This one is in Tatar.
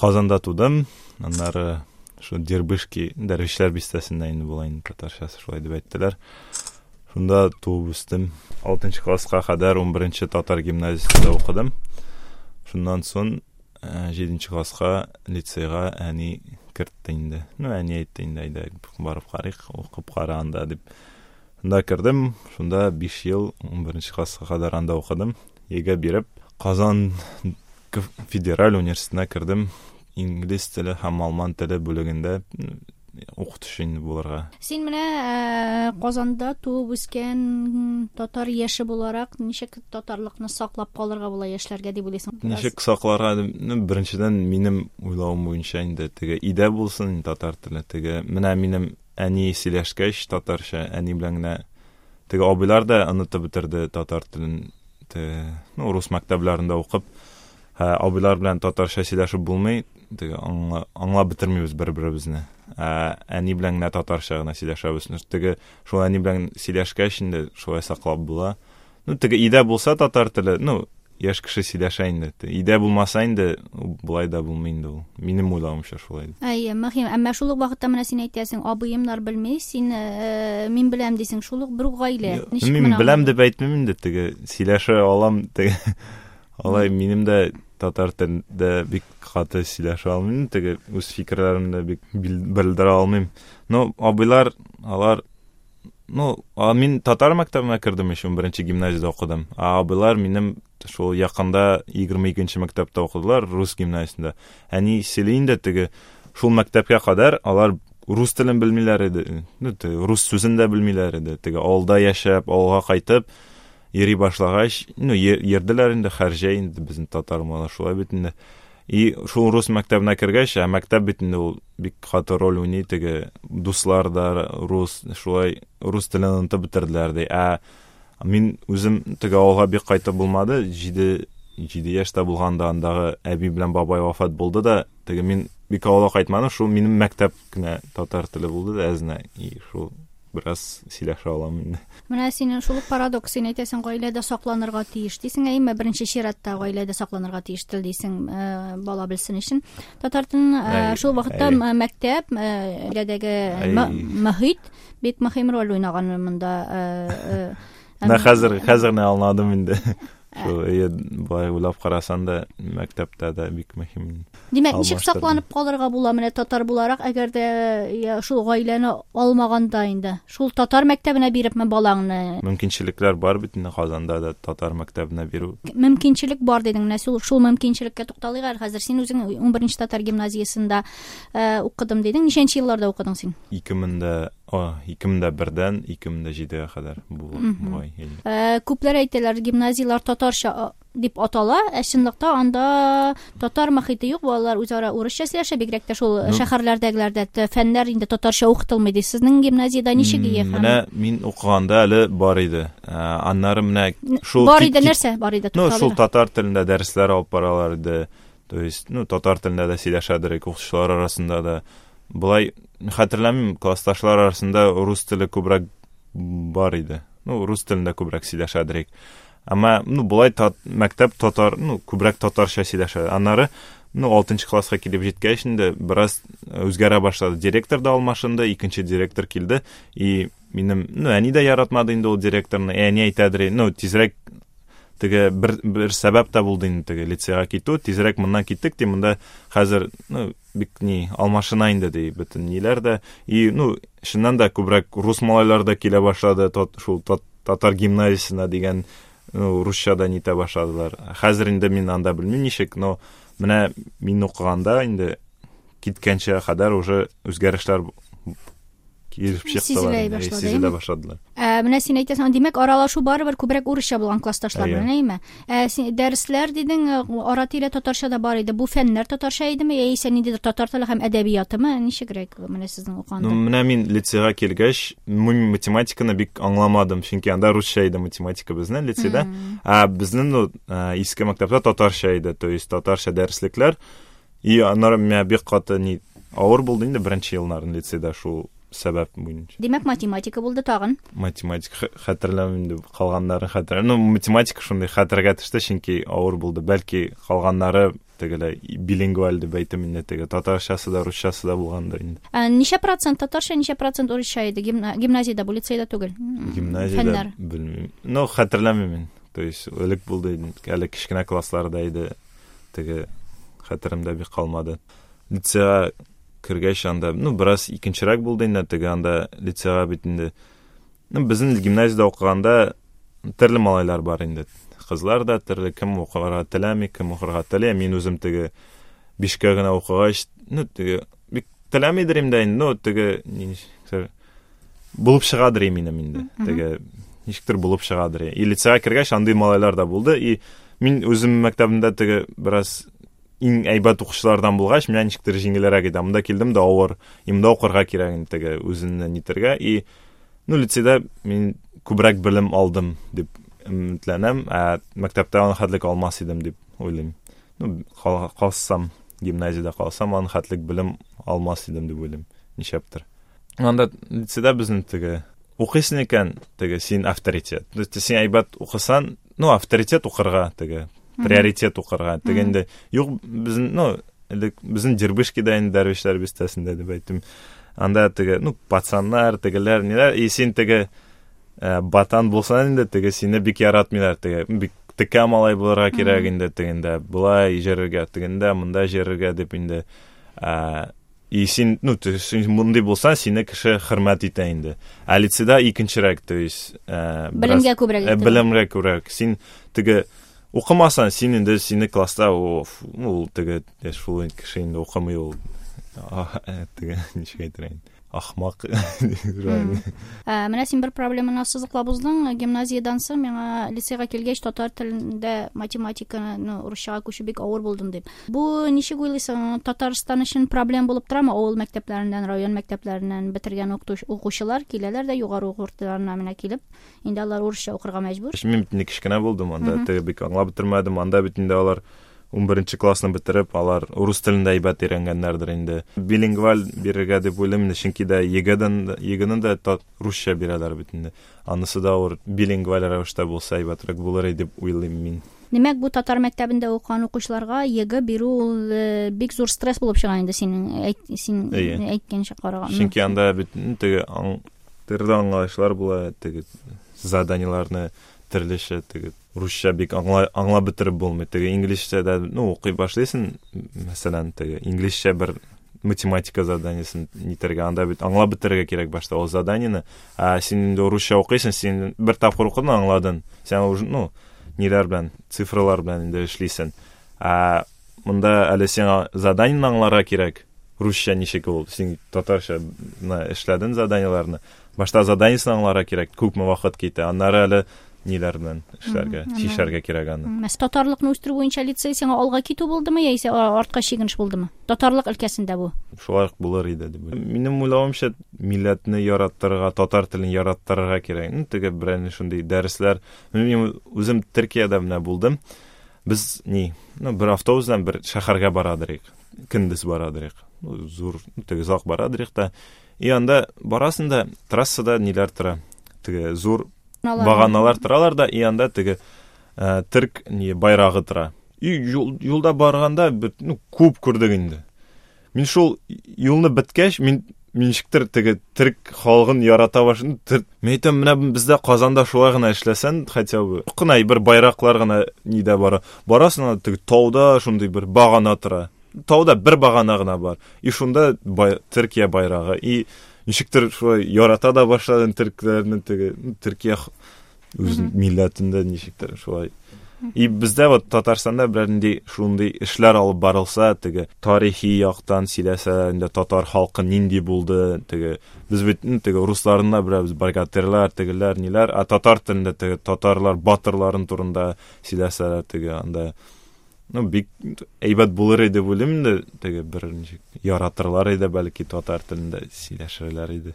Казанда тудым, аннары шул Дербышки, Дәрвишләр бистәсендә инде була инде татарчасы шулай дип әйттеләр. Шунда туып үстем. 6 класска кадәр 11 татар гимназиясендә укыдым. Шуннан соң 7 э, класска лицейга әни кертте инде. Ну, әни әйтте инде, әйдә барып карыйк, укып кара анда дип. Шунда кердем, шунда 5 ел 11 класска кадәр анда укыдым. ЕГЭ биреп, Казан федераль университетына кердем. Инглиз теле һәм алман теле бүлегендә укытучы инде булырга. Син менә э, Казанда туып үскән татар яше буларак ничек татарлыкны саклап калырга була яшьләргә дип уйлыйсың? Ничек сакларга? Ну, беренчедән минем уйлавым буенча инде теге өйдә булсын татар теле, теге менә минем әни сөйләшкәч татарча, әни белән генә теге абыйлар да онытып бетерде татар телен, теге, ну, рус мәктәпләрендә укып, ә, абыйлар белән татарча сөйләшеп булмый, теге аңла, аңлап бетермибез бер-беребезне. Ә, әни белән генә татарча гына сөйләшәбез. Теге шул әни белән сөйләшкәч инде шулай саклап була. Ну, теге өйдә булса татар теле, ну, яшь кеше сөйләшә инде. Өйдә булмаса инде, болай да булмый инде ул. Минем уйлавымча шулай. Әйе, мөһим. Әмма шул ук вакытта менә син әйтәсең, абыемнар белми, син э, мин беләм дисең, шул ук бер үк гаилә. Ничек мин беләм дип әйтмим инде, теге сөйләшә алам, теге алай минем дә татар телендә бик каты сөйләшә алмыйм, теге үз фикерләремне бик белдерә алмыйм. Но абыйлар, алар Ну, а мин татар мәктәбенә кердем еще, 11 гимназиядә укыдым. А абыйлар минем шул якында 22 мәктәптә укыдылар, рус гимназиясендә. Әни сөйли инде теге шул мәктәпкә кадәр алар рус телен белмиләр иде. Ну, теге, рус сүзен дә белмиләр иде. Теге авылда яшәп, авылга кайтып йөри башлагач, ну, йөрделәр инде һәр җәй инде безнең татар малайлар шулай бит инде. И шул рус мәктәбенә кергәч, ә мәктәп бит инде ул бик каты роль уйный, теге дуслар да рус, шулай рус телен онытып бетерделәр ди. Ә мин үзем теге авылга бик кайтып булмады, 7 7 яшьтә булганда андагы әби белән бабай вафат булды да, теге мин бик авылга кайтмадым, шул минем мәктәп кенә татар теле булды да әзенә, и шул бераз сөйләшә алам инде. Менә синең шул ук парадокс, син әйтәсең, гаиләдә сакланырга тиеш дисең, әйеме? Беренче чиратта гаиләдә сакланырга тиеш тел дисең, э, бала белсен өчен. Татар телен э, шул вакытта мәктәп, э, гаиләдәге мөхит бик мөһим роль уйнаган монда. Менә хәзер, хәзер генә аңладым инде. Шул әйе, болай уйлап карасан да, мәктәптә дә бик мөһим. Димәк, ничек сакланып калырга була менә татар буларак, әгәр дә я, шул гаиләне алмаганда инде? Шул татар мәктәбенә бирепме балаңны? Мөмкинчелекләр бар бит инде Казанда да татар мәктәбенә бирү. Мөмкинчелек бар дидең. Менә шул, шул мөмкинчелеккә тукталыйк әле хәзер. Син үзең 11 татар гимназиясендә э, укыдым дидең. Ничәнче елларда укыдың син? 2000 дә О, 2001-дән 2007-гә кадәр бугай. Э, күпләр әйтәләр, гимназияләр татарча дип атала, ә чынлыкта анда татар мохите юк, балалар үзара урысча сөйләшә, бигрәк тә шул ну, шәһәрләрдәгеләрдә фәннәр инде татарча укытылмый ди. Сезнең гимназиядә ничек ие? Менә мин укыганда әле бар иде. Э, аннары менә шул Бар иде нәрсә? Бар иде. Ну, шул татар телендә дәресләр алып баралар иде. То есть, ну, татар телендә дә сөйләшәдер, укытучылар арасында да. Болай хәтерләмим, классташлар арасында рус теле күбрәк бар иде. Ну, рус телендә күбрәк сөйләшәдер. Әмма, ну, болай тат, мәктәп татар, ну, күбрәк татарча сөйләшә. Аннары, ну, 6 класска килеп җиткәч инде бераз үзгәрә башлады. Директор да алмашынды, икенче директор килде. И минем, ну, әни дә яратмады инде ул директорны. Әни әйтәдер, ну, тизрәк теге бер, бер сәбәп тә булды инде теге лицейга китү. Тизрәк моннан киттек, ди, монда хәзер, ну, бик ни алмашына инде ди бөтен ниләр дә. И, ну, чыннан да күбрәк рус малайлар да килә башлады, тот, шул тот, татар гимназиясенә дигән, ну, русча да нитә башладылар. Хәзер инде мин анда белмим ничек, но менә мин укыганда инде киткәнчә кадәр уже үзгәрешләр килеп чыктылар, сизелә башлады, сизелә башладылар. Ә, менә син әйтәсең, димәк, аралашу барыбер күбрәк урысча булган классташлар белән, әйеме? Ә, син, дәресләр дидең, ара-тирә татарча да бар иде. Бу фәннәр татарча идеме, яисә ниндидер татар теле һәм әдәбиятымы? Ничегрәк менә сезнең укыганда? Ну, менә мин лицейга килгәч, мин математиканы бик аңламадым, чөнки анда русча иде математика безнең лицейда. Ә безнең, ну, иске мәктәптә татарча иде, то есть татарча дәреслекләр. И аннары миңа бик каты ни авыр булды инде беренче елларын лицейда шул сәбәп буенча. Димәк, математика булды тагын. Математика хәтерләмим инде, калганнарын хәтерләмим. Ну, математика шундый хәтергә төште, чөнки авыр булды. Бәлки калганнары тегеләй билингваль дип әйтим инде, теге татарчасы да, русчасы да булгандыр инде. Ә ничә процент татарча, ничә процент урысча иде гимназиядә, бу лицейда түгел? Гимназиядә Фәннәр. белмим. Ну, хәтерләмим мин. То есть элек булды, әле кечкенә классларда иде, теге хәтеремдә бик калмады. Лицейга кергәч анда, ну, бераз икенчерәк булды инде, теге анда лицейга бит инде. Ну, безнең гимназиядә укыганда төрле малайлар бар инде. Кызлар да төрле, кем укырга теләми, кем укырга тели. Мин үзем теге бишкә генә укыгач, ну, теге бик теләмидер инде, ну, теге ничектер булып чыгадыр минем инде. Теге ничектер булып чыгадыр. И лицейга кергәч андый малайлар да булды. И мин үзем мәктәбемдә теге бераз иң әйбәт укучылардан булгач, миңа ничектер җиңелрәк иде. Монда килдем дә авыр. И монда укырга кирәк инде теге үзеңне нитергә. И ну, лицейда мин күбрәк белем алдым дип өметләнәм, ә мәктәптә аны хәтлек алмас идем дип уйлыйм. Ну, калсам, гимназиядә калсам, аны хәтлек белем алмас идем дип уйлыйм. Нишләптер. Анда лицейда безнең теге укыйсың икән, теге син авторитет. То есть син әйбәт укысан, ну, авторитет укырга теге, приоритет укырга. Теге инде юк безнең, ну, элек безнең Дербышкида инде Дәрвишләр бистәсендә дип әйттем. Анда теге, ну, пацаннар, тегеләр, ниләр, и син теге батан булсаң инде, теге сине бик яратмыйлар, теге бик текә малай булырга кирәк инде, тегендә болай җөрергә, тегендә монда җөрергә дип инде. И син, ну, ты, син мондый булсаң, сине кеше хөрмәт итә инде. Ә лицейда икенчерәк, то есть, Белемгә күбрәк итә. Белемгә күбрәк. Син теге укымасаң, син инде сине класста, о, фу, ул теге, шул кеше инде укымый ул. Теге, ничек әйтер инде? Ахмак. Менә син бер проблеманы ассызыклап уздың. Гимназиядән соң миңа лицейга килгәч татар телендә математиканы, ну, русчага күчү бик авыр булдым дип. Бу ничек уйлыйсың, Татарстан өчен проблем булып торамы? Авыл мәктәпләреннән, район мәктәпләреннән бетергән укучылар киләләр дә югары уку йортларына менә килеп, инде алар урысча укырга мәҗбүр. Мин бит инде кечкенә булдым, анда теге бик аңлап бетермәдем. Анда бит инде алар 11 классны бетереп, алар урыс телен дә әйбәт өйрәнгәннәрдер инде. Билингваль бирергә дип уйлыйм инде, чөнки дә ЕГЭдән, ЕГЭны дә русча бирәләр бит инде. Анысы да ул билингваль рәвештә булса әйбәтрәк булыр иде дип уйлыйм мин. Димәк, бу татар мәктәбендә укыган укучыларга ЕГЭ бирү ул бик зур стресс булып чыга инде синең син әйткәнчә караганда. Чөнки анда бит теге төрле аңлаешлар була, теге заданиеларны төрлечә, теге русча бик аңлап бетереп булмый. Теге инглизчә дә, ну, укый башлыйсың, мәсәлән, теге инглизчә бер математика заданиесен нитәргә, анда бит аңлап бетерергә кирәк башта ул заданиены. Ә син инде русча укыйсың, син бер тапкыр укыдың, аңладың. Син уже, ну, ниләр белән, цифралар белән инде эшлисең. Ә монда әле сиңа заданиены аңларга кирәк. Русча ничек ул? Син татарча менә эшләдең заданиеларны. Башта заданиесен аңларга кирәк, күпме вакыт китә. Аннары әле ниләр белән эшләргә, чишәргә кирәк аны. Мәс татарлыкны үстерү буенча лицей сиңа алга китү булдымы, яисә артка чигенеш булдымы? Татарлык өлкәсендә бу. Шулай ук булыр иде дип уйлыйм. Минем уйлавымча, милләтне яраттырырга, татар телен яраттырырга кирәк. Ну, теге берәр шундый дәресләр. Мин үзем Төркиядә менә булдым. Без ни, ну, бер автобус белән бер шәһәргә барадырык. Көндез барадырык. Ну, зур, ну, теге озак барадырык та. И анда барасың да, трассада ниләр тора? Теге зур Баганалар. Баганалар торалар да, и анда теге төрк ни байрагы тора. И юлда барганда бер, ну, күп күрдек инде. Мин шул юлны беткәч, мин ничектер теге төрк халкын ярата башладым. Мин әйтәм, менә бездә Казанда шулай гына эшләсән, хотя бы кына бер байраклар гына нидә бара. Барасың, анда теге тауда шундый бер багана тора. Тауда бер багана гына бар. И шунда Төркия байрагы. И ничектер шулай ярата да башладым төркләрне, теге, ну, Төркия үз милләтендә ничектер шулай. И бездә вот Татарстанда берәр нинди шундый эшләр алып барылса, теге тарихи яктан сөйләсә, инде татар халкы нинди булды, теге без бит, ну, теге русларны да беләбез, богатырлар, тегеләр, ниләр, ә татар телендә теге татарлар батырларын турында сөйләсәләр, теге анда, ну, бик әйбәт булыр иде дип уйлыйм инде, теге бер ничек яратырлар иде, бәлки татар телендә сөйләшерләр иде.